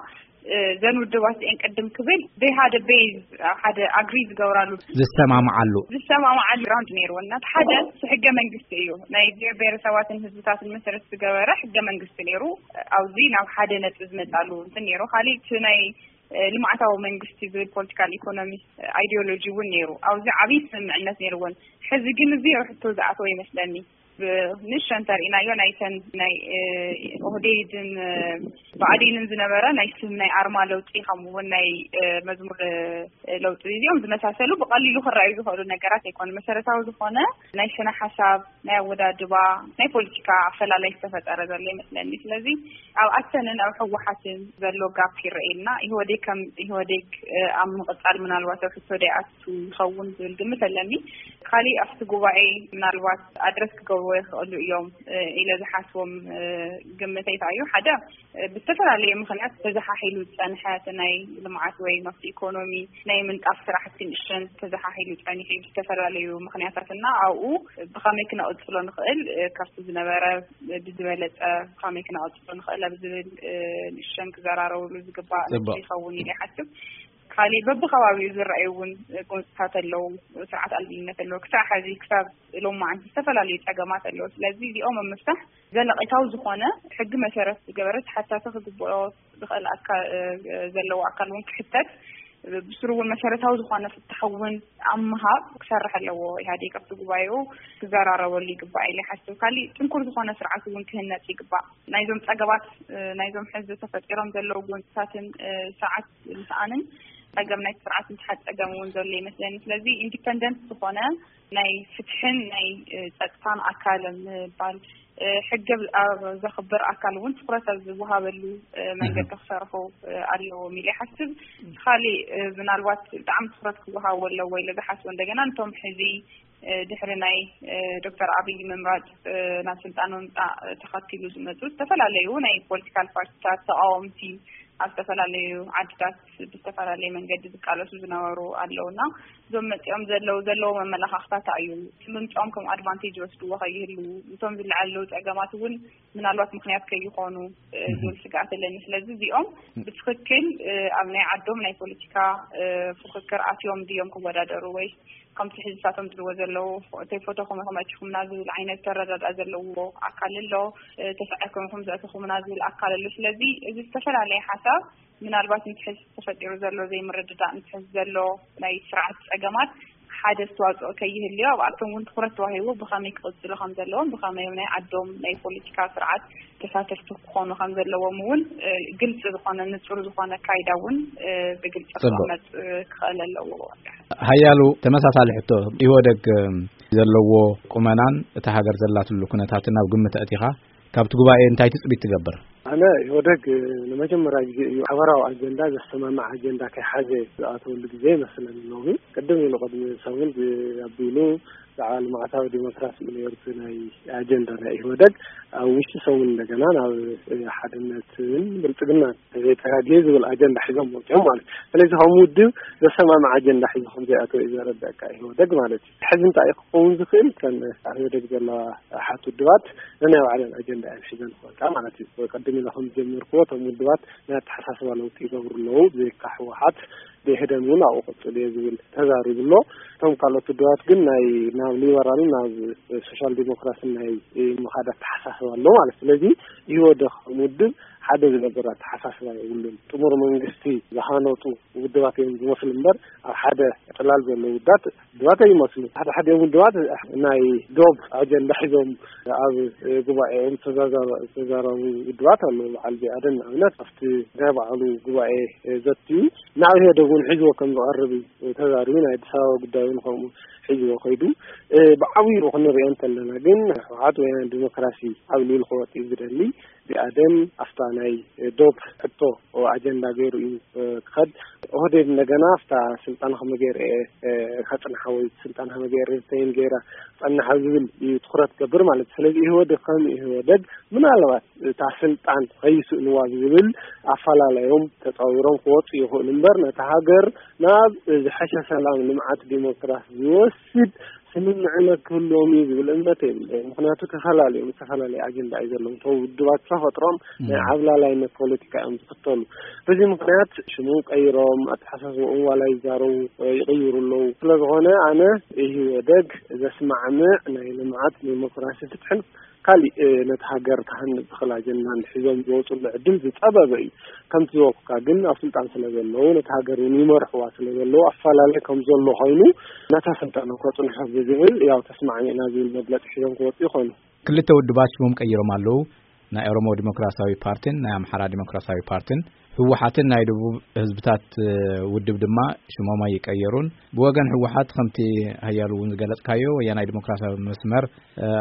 እ፣ እዘን ውድባት እዚአን ቅድም ክብል they had a base፣ ሓደ ኣግሪ ዝገብራሉ፣ ዝሰማምዓሉ። ዝሰማምዓሉ ግራውንድ ነይሩ። እና እቲ ሓደ እቲ ሕገ መንግስቲ እዩ። ናይ ብሔር ብሔረሰባትን ህዝብታትን መሰረት ዝገበረ ሕገ መንግስቲ ነይሩ። ኣብዚ ናብ ሓደ ነጥቢ ዝመጻሉ እንትን ነይሩ። ካሊእ እቲ ናይ፣ እ፣ ልምዓታዊ መንግስቲ ዝብል ፖለቲካል ኢኮኖሚ፣ እ፣ ኣይዲዮሎጂ እውን ነይሩ። ኣብዚ ዓብዪ ስምምዕነት ነይርዎን። ሕዚ ግን እዚ ኣብ ሕቶ ዝኣተወ ይመስለኒ። ንእሽተን ተርኢናዮ ናይተን ናይ ኦህዴድን ብኣዴንን ዝነበረ ናይ ስም ናይ ኣርማ ለውጢ ከምኡውን ናይ መዝሙር ለውጢ እዚኦም ዝመሳሰሉ ብቐሊሉ ክረኣዩ ዝኽእሉ ነገራት ኣይኮኑ። መሰረታዊ ዝኾነ ናይ ስነ ሓሳብ፣ ናይ ኣወዳድባ፣ ናይ ፖለቲካ ኣፈላላይ ዝተፈጠረ ዘሎ ይመስለኒ። ስለዚ ኣብ ኣተንን ኣብ ህወሓትን ዘሎ ጋፕ ይረኣየና። ኢህወዴግ ከም ኢህወዴግ ኣብ ምቕፃል ምናልባት ኣብ ሕቶ ደይኣቱ ይኸውን ዝብል ግምት ኣለኒ። ካሊእ ኣብቲ ጉባኤ ምናልባት ኣድረስ ክገብርዎ ይኽእሉ እዮም ኢለ ዝሓስቦም ግምተይ እንታይ እዩ? ሓደ ብዝተፈላለየ ምኽንያት ተዘሓሒሉ ዝፀንሐ እቲ ናይ ልምዓት ወይ ኣብቲ ኢኮኖሚ ናይ ምንጣፍ ስራሕቲ ንእሽተን ተዘሓሒሉ ፀኒሑ ብዝተፈላለዩ ምኽንያታት እና ኣብኡ ብኸመይ ክነቕፅሎ ንኽእል ካብቲ ዝነበረ ብዝበለፀ ብኸመይ ክነቕፅሎ ንኽእል ኣብ ዝብል ንእሽተን ክዘራረብሉ ዝግባእ ይኸውን ኢለ ይሓስብ። ካሊእ በብከባቢኡ ዝረኣዩ እውን ጎንፅታት ኣለዉ። ስርዓት ኣልቢነት ኣለዉ። ክሳብ ሕዚ ክሳብ ሎማዓንቲ ዝተፈላለዩ ፀገማት ኣለዉ። ስለዚ እዚኦም ኣብ ምፍታሕ ዘለቂታዊ ዝኾነ ሕጊ መሰረት ዝገበረ ተሓታቲ ክግብኦ ዝኽእል ኣካ- ዘለዎ ኣካል እውን ክሕተት ብስሩ እውን መሰረታዊ ዝኾነ ፍትሒ እውን ኣብ ምሃብ ክሰርሕ ኣለዎ። ኢህኣዴግ ኣብቲ ጉባኤኡ ክዘራረበሉ ይግባእ ኢለ ይሓስብ። ካሊእ ጥንኩር ዝኾነ ስርዓት እውን ክህነፅ ይግባእ። ናይዞም ፀገባት ናይዞም ሕዚ ተፈጢሮም ዘለዉ ጎንፅታትን ስርዓት ምስኣንን ፀገም ናይ ስርዓት ምትሓት ፀገም እውን ዘሎ ይመስለኒ። ስለዚ ኢንዲፐንደንት ዝኾነ ናይ ፍትሕን ናይ ፀጥታን ኣካል ምባል ሕጊ ኣብ ዘኽብር ኣካል እውን ትኩረት ኣብ ዝወሃበሉ መንገዲ ክሰርሑ ኣለዎም ኢለ ይሓስብ። ካሊእ ምናልባት ብጣዕሚ ትኩረት ክወሃቦ ኣለዎ ኢለ ዝሓስቦ እንደገና ነቶም ሕዚ ድሕሪ ናይ ዶክተር ኣብይ ምምራፅ ናብ ስልጣን ምምፃእ ተኸቲሉ ዝመፁ ዝተፈላለዩ ናይ ፖለቲካል ፓርቲታት ተቃወምቲ ኣብ ዝተፈላለዩ ዓድታት ብዝተፈላለየ መንገዲ ዝቃለሱ ዝነበሩ ኣለውና እዞም መፂኦም ዘለዉ ዘለዎ መመላኻኽታት እዩ ምምፅኦም ከም ኣድቫንቴጅ ወስድዎ ከይህሉ እቶም ዝለዓሉ ፀገማት እውን ምናልባት ምክንያት ከይኾኑ ዝብል ስግኣት ኣለኒ። ስለዚ እዚኦም ብትክክል ኣብ ናይ ዓዶም ናይ ፖለቲካ ፍክክር ኣትዮም ድዮም ክወዳደሩ ወይ ከምቲ ሕዝብታቶም ዝብልዎ ዘለዉ ተይፈተኹም ኢኹም ኣቲኹምና ዝብል ዓይነት ተረዳድኣ ዘለዎ ኣካል ኣሎ። ተሳዒርኩም ኢኹም ዘእተኹምና ዝብል ኣካል ኣሎ። ስለዚ እዚ ዝተፈላለየ ሓሳብ ምናልባት ንትሕዝ ተፈጢሩ ዘሎ ዘይምርድዳእ ንትሕዝ ዘሎ ናይ ስርዓት ፀገማት ሓደ ኣስተዋፅኦ ከይህልዮ ኣብኣቶም እውን ትኩረት ተዋሂቡ ብኸመይ ክቕፅሉ ከም ዘለዎም ብኸመይ ናይ ዓዶም ናይ ፖለቲካ ስርዓት ተሳተፍቲ ክኾኑ ከም ዘለዎም እውን ግልፂ ዝኾነ ንፁር ዝኾነ ካይዳ እውን ብግልፂ ክቐመጥ ክኽእል ኣለዎ። ሓያሉ ተመሳሳሊ ሕቶ ኢህወደግ ዘለዎ ቁመናን እታ ሃገር ዘላትሉ ኩነታትን ኣብ ግምት ኣእቲኻ ካብቲ ጉባኤ እንታይ ትፅቢት ትገብር? ኣነ ኢህወደግ ንመጀመርያ ግዜ እዩ ሓበራዊ ኣጀንዳ ዘሰማምዕ ኣጀንዳ ከይሓዘ ዝኣተወሉ ግዜ ይመስለኒ። ሎሚ ቅድም ኢሉ ቅድሚ ሰሙን ኣቢሉ ብዛዕባ ልምዓታዊ ዲሞክራሲ እዩ ነይሩ እቲ ናይ ኣጀንዳ ናይ ኢህወደግ። ኣብ ውሽጢ ሰሙን እንደገና ናብ ሓድነትን ብልፅግናን ዘይተጋግየ ዝብል ኣጀንዳ ሒዞም መፅኦም ማለት እዩ። ስለዚ ከም ውድብ ዘሰማምዕ ኣጀንዳ ሒዙ ከም ዘይኣተወ እዩ ዘረዳእካ ኢህወደግ ማለት እዩ። ሕዚ እንታይ እዩ ክኸውን ዝኽእል ከም ኢህወደግ ዘለዋ ሓት ውድባት ነናይ ባዕለን ኣጀንዳ እየን ሒዘን ክወፃ ማለት እዩ። ቅድም ኢለ ከም ዝጀመርክዎ እቶም ውድባት ናይ ኣተሓሳስባ ለውጢ ይገብሩ ኣለዉ። ብዘይካ ህወሓት ብህደን እውን ኣብኡ ቅፅል እየ ዝብል ተዛሪቡ ኣሎ። እቶም ካልኦት ውድባት ግን ናይ ናብ ሊበራልን ናብ ሶሻል ዲሞክራሲን ናይ ምኻድ ኣተሓሳስባ ኣሎ ማለት። ስለዚ ኢህወደግ ከም ውድብ ሓደ ዝነብር ኣተሓሳስባ የብሉን። ጥሙር መንግስቲ ዝሃነፁ ውድባት እዮም ዝመስሉ እምበር ኣብ ሓደ ጥላል ዘለዉ ውዳት ውድባት ኣይመስሉ። ሓደ ሓደ ውድባት ናይ ዶብ ኣጀንዳ ሒዞም ኣብ ጉባኤኦም ዝተዛረቡ ውድባት ኣለዉ። በዓል ቢኣደን ንኣብነት ኣብቲ ናይ በዓሉ ጉባኤ ዘትዩ ናብ ኢህወደግ እውን ሒዝዎ ከም ዝቐርብ እዩ ተዛሪቡ። ናይ ኣዲስ ኣበባ ጉዳይ እውን ከምኡ ሒዝዎ ከይዱ ብዓብይኡ ክንሪኦ እንተለና ግን ህወሓት ወያነ ዲሞክራሲ ዓብሊሉ ክወፅ እዩ ዝደሊ። ቢኣደን ኣብታ ናይ ዶብ ሕቶ ኣጀንዳ ገይሩ እዩ ክኸድ። ኦህዴድ እንደገና ኣብታ ስልጣን ከመይ ገይረ ከፅንሓ ወይ ስልጣን ከመይ ገይረ ሪተይን ገይራ ክፀንሓ ዝብል እዩ ትኩረት ገብር ማለት እዩ። ስለዚ ኢህወደግ ከም ኢህወደግ ምናልባት እታ ስልጣን ከይስእንዋ ዝብል ኣፈላለዮም ተፃዊሮም ክወፁ ይኽእሉ እምበር ነታ ሃገር ናብ ዝሐሸ ሰላም ልምዓት ዲሞክራሲ ዝወስድ ስምምዕነት ክህልዎም እዩ ዝብል እምነት የብለይን። ምክንያቱ ተፈላለዮም ዝተፈላለዩ ኣጀንዳ እዩ ዘለዎም። እቶም ውድባት ተፈጥሮም ናይ ዓብላላይነት ፖለቲካ እዮም ዝኽተሉ። በዚ ምክንያት ሽሞም ቀይሮም ኣተሓሳስቦኦም ዋላ ይዛረቡ ይቕይሩ ኣለዉ። ስለዝኾነ ኣነ ኢህወደግ ዘስማዕምዕ ናይ ልምዓት ዲሞክራሲ ፍትሕን ካሊእ ነቲ ሃገር ክሃንፅ ዝኽእል ኣጀንዳን ሒዞም ዝወፅሉ ዕድል ዝፀበበ እዩ። ከምቲ ዝበልኩካ ግን ኣብ ስልጣን ስለ ዘለዉ ነቲ ሃገር እውን ይመርሕዋ ስለ ዘለዉ ኣፈላለየ ከም ዘሎ ኮይኑ ነታ ስልጣን ከፅንሑ ዝብል ያው ተስማዕሚዕና ዝብል መግለጺ ሒዞም ክወጡ ይኾኑ። ክልተ ውድባት ሽሞም ቀይሮም ኣለዉ። ናይ ኦሮሞ ዲሞክራሲያዊ ፓርቲን ናይ ኣምሓራ ዲሞክራሲያዊ ፓርቲን። ህወሓትን ናይ ደቡብ ህዝብታት ውድብ ድማ ሽሞም ኣይቀየሩን። ብወገን ህወሓት ከምቲ ሃያሉ እውን ዝገለጽካዮ ወያናይ ዲሞክራሲያዊ መስመር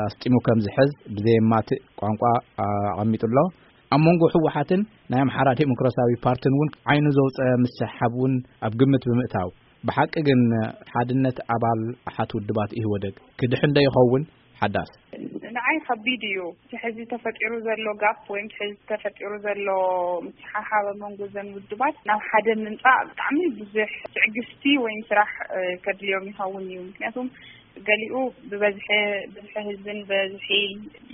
ኣስጢሙ ከም ዝሕዝ ብዘየማትእ ቋንቋ ኣቐሚጡ ኣሎ። ኣብ መንጎ ህወሓትን ናይ ኣምሓራ ዲሞክራሲያዊ ፓርቲን እውን ዓይኑ ዘውፀ ምስሕሓብ እውን ኣብ ግምት ብምእታው፣ ብሓቂ ግን ሓድነት ኣባል ኣሓት ውድባት ኢህወደግ ክድሕን ዶ ይኸውን? ሓዳስ። ንዓይ ከቢድ እዩ። እቲ ሕዚ ተፈጢሩ ዘሎ ጋፕ ወይም እቲ ሕዚ ተፈጢሩ ዘሎ ምስሓሓብ ኣብ መንጎ ዘን ውድባት ናብ ሓደ ምምፃእ ብጣዕሚ ብዙሕ ትዕግስቲ ወይም ስራሕ ከድልዮም ይኸውን እዩ። ምክንያቱም ገሊኡ ብበዝሒ፣ ብዝሒ ህዝብን በዝሒ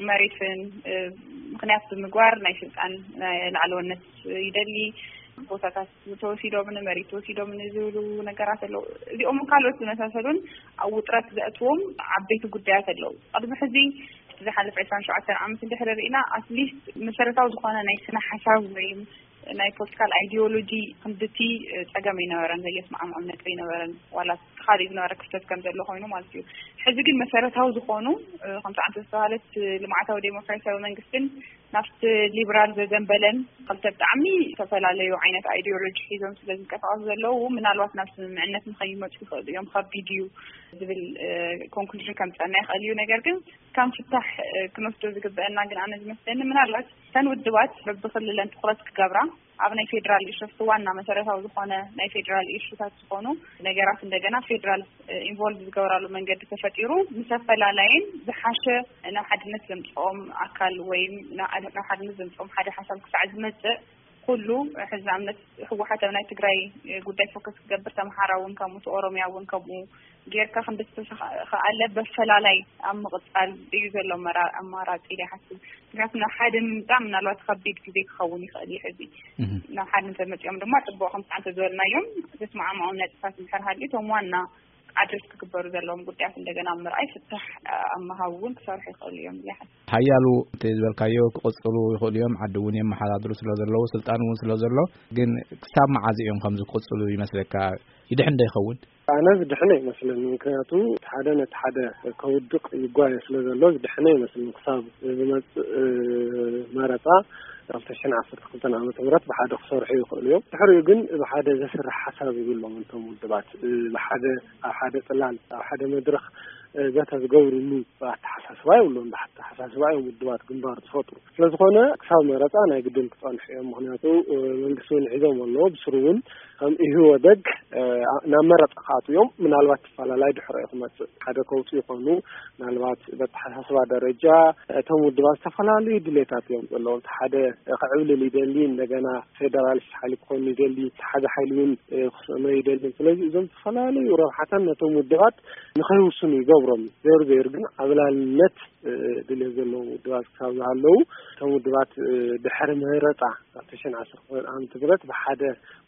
መሬትን ምክንያት ብምግባር ናይ ስልጣን ናይ ላዕለወነት ይደሊ። ቦታታት ተወሲዶምን መሬት ተወሲዶምን ዝብሉ ነገራት ኣለዉ። እዚኦም ካልኦት ዝመሳሰሉን ኣብ ውጥረት ዘእትዎም ዓበይቲ ጉዳያት ኣለዉ። ቅድሚ ሕዚ ዝሓለፈ ዕስራን ሸውዓተን ዓመት እንድሕር ርኢና፣ ኣትሊስት መሰረታዊ ዝኾነ ናይ ስነ ሓሳብ ወይም ናይ ፖለቲካል ኣይዲዮሎጂ ክንድቲ ጸገም ኣይነበረን፣ ዘየስማዕምዖም ነጥቢ ኣይነበረን። ዋላ ተኻሊኡ ዝነበረ ክፍተት ከም ዘሎ ኮይኑ ማለት እዩ። ሕዚ ግን መሰረታዊ ዝኾኑ ከምቲ ዓንተ ዝተባሃለት ልምዓታዊ ዴሞክራሲያዊ መንግስትን ናብቲ ሊብራል ዘዘንበለን ክልተ ብጣዕሚ ዝተፈላለዩ ዓይነት ኣይዲዮሎጂ ሒዞም ስለ ዝንቀሳቐሱ ዘለዉ፣ ምናልባት ናብ ስምምዕነት ንኸይመፁ ይኽእሉ እዮም፣ ከቢድ እዩ ዝብል ኮንክሉዥን ከምፀና ይኽእል እዩ። ነገር ግን ከም ፍታሕ ክንወስዶ ዝግበአና ግን ኣነ ዝመስለኒ ምናልባት እተን ውድባት በብክልለን ትኩረት ክገብራ ኣብ ናይ ፌደራል ኢሹ ዋና መሰረታዊ ዝኾነ ናይ ፌደራል ኢሹታት ዝኾኑ ነገራት እንደገና ፌደራል ኢንቮልቭ ዝገብራሉ መንገዲ ተፈጢሩ ምስ ኣፈላላይን ዝሓሸ ናብ ሓድነት ዘምፅኦም ኣካል ወይም ናብ ሓድነት ዘምፅኦም ሓደ ሓሳብ ክሳዕ ዝመፅእ ኩሉ ሕዚ ንኣብነት ህወሓት ኣብ ናይ ትግራይ ጉዳይ ፎከስ ክገብር፣ ኣምሓራ እውን ከምኡ፣ ኦሮሚያ እውን ከምኡ ጌርካ ክንድተኸኣለ በፈላላይ ኣብ ምቕፃል እዩ ዘሎ ኣማራፂ ኢለ ይሓስብ። ምክንያቱ ናብ ሓደ ምምፃእ ምናልባት ከቢድ ግዜ ክኸውን ይኽእል እዩ። ሕዚ ናብ ሓደ እንተመፂኦም ድማ ፅቡቕ ከምቲ ዓንተ ዝበልናዮም ዘስማዕምዖም ነጥብታት እንድሕር ሃልዩ እቶም ዋና ኣድረስ ክግበሩ ዘለዎም ጉዳያት እንደገና ኣብ ምርኣይ ፍታሕ ኣብ ምሃብ እውን ክሰርሑ ይኽእሉ እዮም ኢለ ይሓስብ። ሓያሉ እቲ ዝበልካዮ ክቕፅሉ ይኽእሉ እዮም። ዓዲ እውን የመሓዳድሩ ስለ ዘለዉ ስልጣን እውን ስለ ዘሎ ግን ክሳብ መዓዝ እዮም ከምዚ ክቕፅሉ ይመስለካ? ይድሕን ዶ ይኸውን? ኣነ ዝድሕን ኣይመስለኒ። ምክንያቱ እቲ ሓደ ነቲ ሓደ ከውድቕ ይጓየ ስለ ዘሎ ዝድሕን ኣይመስለኒ። ክሳብ ዝመፅእ መረፃ ክልተ ሽሕን ዓሰርተ ክልተን ዓመተ ምህረት ብሓደ ክሰርሑ ይኽእሉ እዮም። ድሕሪኡ ግን ብሓደ ዘስርሕ ሓሳብ ይብሎም እንቶም ውድባት ብሓደ ኣብ ሓደ ፅላል ኣብ ሓደ መድረኽ ዘተ ዝገብርሉ ኣተሓሳስባ የብሎም። ብኣተሓሳስባ እዮም ውድባት ግንባር ዝፈጥሩ። ስለዝኾነ ክሳብ መረፃ ናይ ግድን ክፀንሑ እዮም። ምክንያቱ መንግስቲ እውን ሒዞም ኣለዎ። ብስሩ እውን ከም ኢህወደግ ናብ መረፃ ክኣትዉ እዮም። ምናልባት ተፈላላይ ድሕሪኡ ክመፅእ ሓደ ከውፁ ይኾኑ። ምናልባት በተሓሳስባ ደረጃ እቶም ውድባት ዝተፈላለዩ ድሌታት እዮም ዘለዎም። እቲ ሓደ ክዕብልል ይደሊ፣ እንደገና ፌደራሊስት ሓይሊ ክኾኑ ይደሊ፣ እቲ ሓደ ሓይሊ እውን ክስእኖ ይደሊ። ስለዚ እዞም ዝተፈላለዩ ረብሓታት ነቶም ውድባት ንኸይውስኑ ይገብሮም። ዜሩ ዜሩ ግን ዓብላልነት ድሌት ዘለዎም ውድባት ክሳብ ዝሃለዉ እቶም ውድባት ድሕሪ መረፃ ክልተ ሽሕን ዓሰርተ ክልተን ዓመተ ምህረት ብሓደ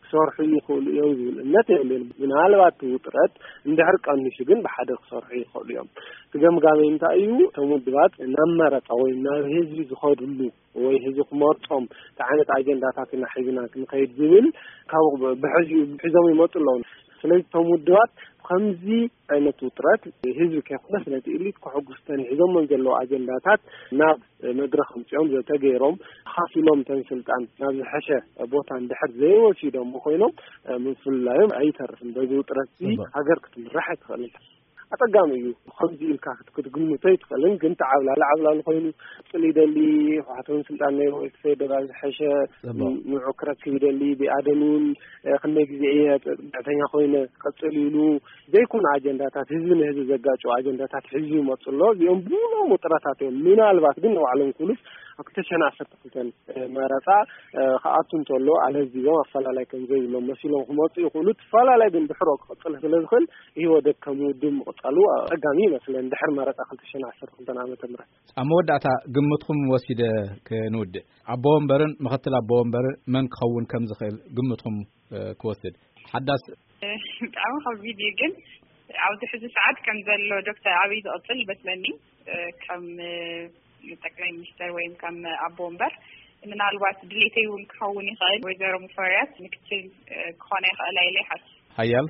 ክሰርሑ ይኽእሉ እዮም ዝብል እምነት የብለይን። ምናልባት እቲ ውጥረት እንድሕር ቀኒሱ ግን ብሓደ ክሰርሑ ይኽእሉ እዮም። እቲ ገምጋመይ እንታይ እዩ? እቶም ውድባት ናብ መረፃ ወይ ናብ ህዝቢ ዝኸድሉ ወይ ህዝቢ ክመርፆም እንታይ ዓይነት ኣጀንዳታት ኢና ሒዝና ክንኸይድ ዝብል ካብ ብሕዚ ሒዞም ይመፁ ኣለዉ። ስለዚ እቶም ውድባት ከምዚ ዓይነት ውጥረት ህዝቢ ከይኮነስ ነቲ ኢሊት ከሐጉስ ተን ሒዞሞን ዘለዉ ኣጀንዳታት ናብ መድረኽ ኣምፂኦም ዘተገይሮም ተኻፊሎም ተን ስልጣን ናብ ዝሐሸ ቦታ እንድሕር ዘይወሲዶም ኮይኖም ምፍልላዮም ኣይተርፍን። በዚ ውጥረት እዚ ጽቡቅ። ሃገር ክትምራሕ ኣይትኽእልን። ኣጸጋሚ እዩ። ከምዚ ኢልካ ክት-፣ ክትግምቶ ኣይትኽእልን። ግን ተዓብላሊ ዓብላሊ ኮይኑ ቅጽል ይደሊ፣ ህወሓት እውን ስልጣን ነይሩ፣ እቲ ፌደራል ዝሐሸ ጽቡቅ። ንዑ ክረክብ ይደሊ፣ ብኣደን እውን፣ እ፣ ክንደይ ግዜ እየ ጽግዕተኛ ኮይነ ክቅጽል ኢሉ ዘይኮነ ኣጀንዳታት፣ ህዝቢ ንህዝቢ ዘጋጭው ኣጀንዳታት ሒዙ ይመጽእ ኣሎ። እዚኦም ብሎም ውጥረታት እዮም። ምናልባት ግን ንባዕሎም ክብሉስ ኣብ ክልተ ሽሕን ዓሰርተ ክልተን መረጻ፣ እ፣ ክኣቱ እንተሎ ኣለዚቦም ኣፈላላይ ከም ዘይብሎም መሲሎም ክመጹ ይኽእሉ። እቲ ኣፈላላይ ግን ድሕሮ ክቕጽል ስለ ዝኽእል፣ ኢህወደግ ከም ውድብ ምቕጻሉ ኣጸጋሚ ይመስለኒ፣ ድሕሪ መረጻ ክልተ ሽሕን ዓሰርተ ክልተን ዓመተ ምህረት። ኣብ መወዳእታ ግምትኩም ወሲደ ክንውድእ፣ ኣቦ ወንበርን ምኽትል ኣቦ ወንበርን መን ክኸውን ከም ዝኽእል ግምትኩም፣ እ፣ ክወስድ። ሓዳስ። ብጣዕሚ ከቢድ እዩ፣ ግን ኣብዚ ሕዚ ሰዓት ከም ዘሎ ዶክተር ኣብይ ዝቕጽል ይመስለኒ፣ እ፣ ከም፣ እ፣ ጠቅላይ ሚኒስተር ወይም ከም ኣቦ ወንበር። ምናልባት ድሌተይ እውን ክኸውን ይኽእል፣ ወይዘሮ ሙፈሪያት ምክትል፣ እ፣ ክኾና ይኽእላ ኢለ ይሓስብ። ሓያል።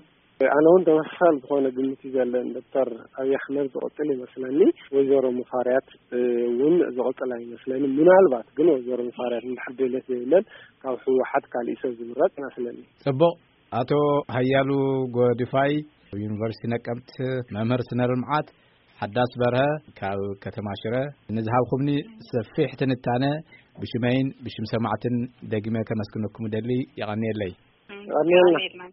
ኣነ እውን ተመሳሳሊ ዝኾነ ግምት እዩ ዘለኒ። ዶክተር ኣብይ ኣሕመድ ዝቕፅል ይመስለኒ። ወይዘሮ ሙፈሪያት እውን ዝቕፅል ኣይመስለኒ። ምናልባት ግን ወይዘሮ ሙፈሪያት እንድሕር ድሌት የብለን፣ ካብ ህወሓት ካሊእ ሰብ ዝምረፅ ይመስለኒ። ጽቡቕ። ኣቶ ሃያሉ ጎድፋይ፣ ዩኒቨርሲቲ ነቀምት፣ መምህር ስነ ልምዓት፣ ሓዳስ በርሀ፣ ካብ ከተማ ሽረ፣ ንዝሃብኩምኒ ሰፊሕ ትንታነ ብሽመይን ብሽም ሰማዕትን ደግመ ከመስግነኩም ደሊ። የቐንየለይ። ቀንየልና።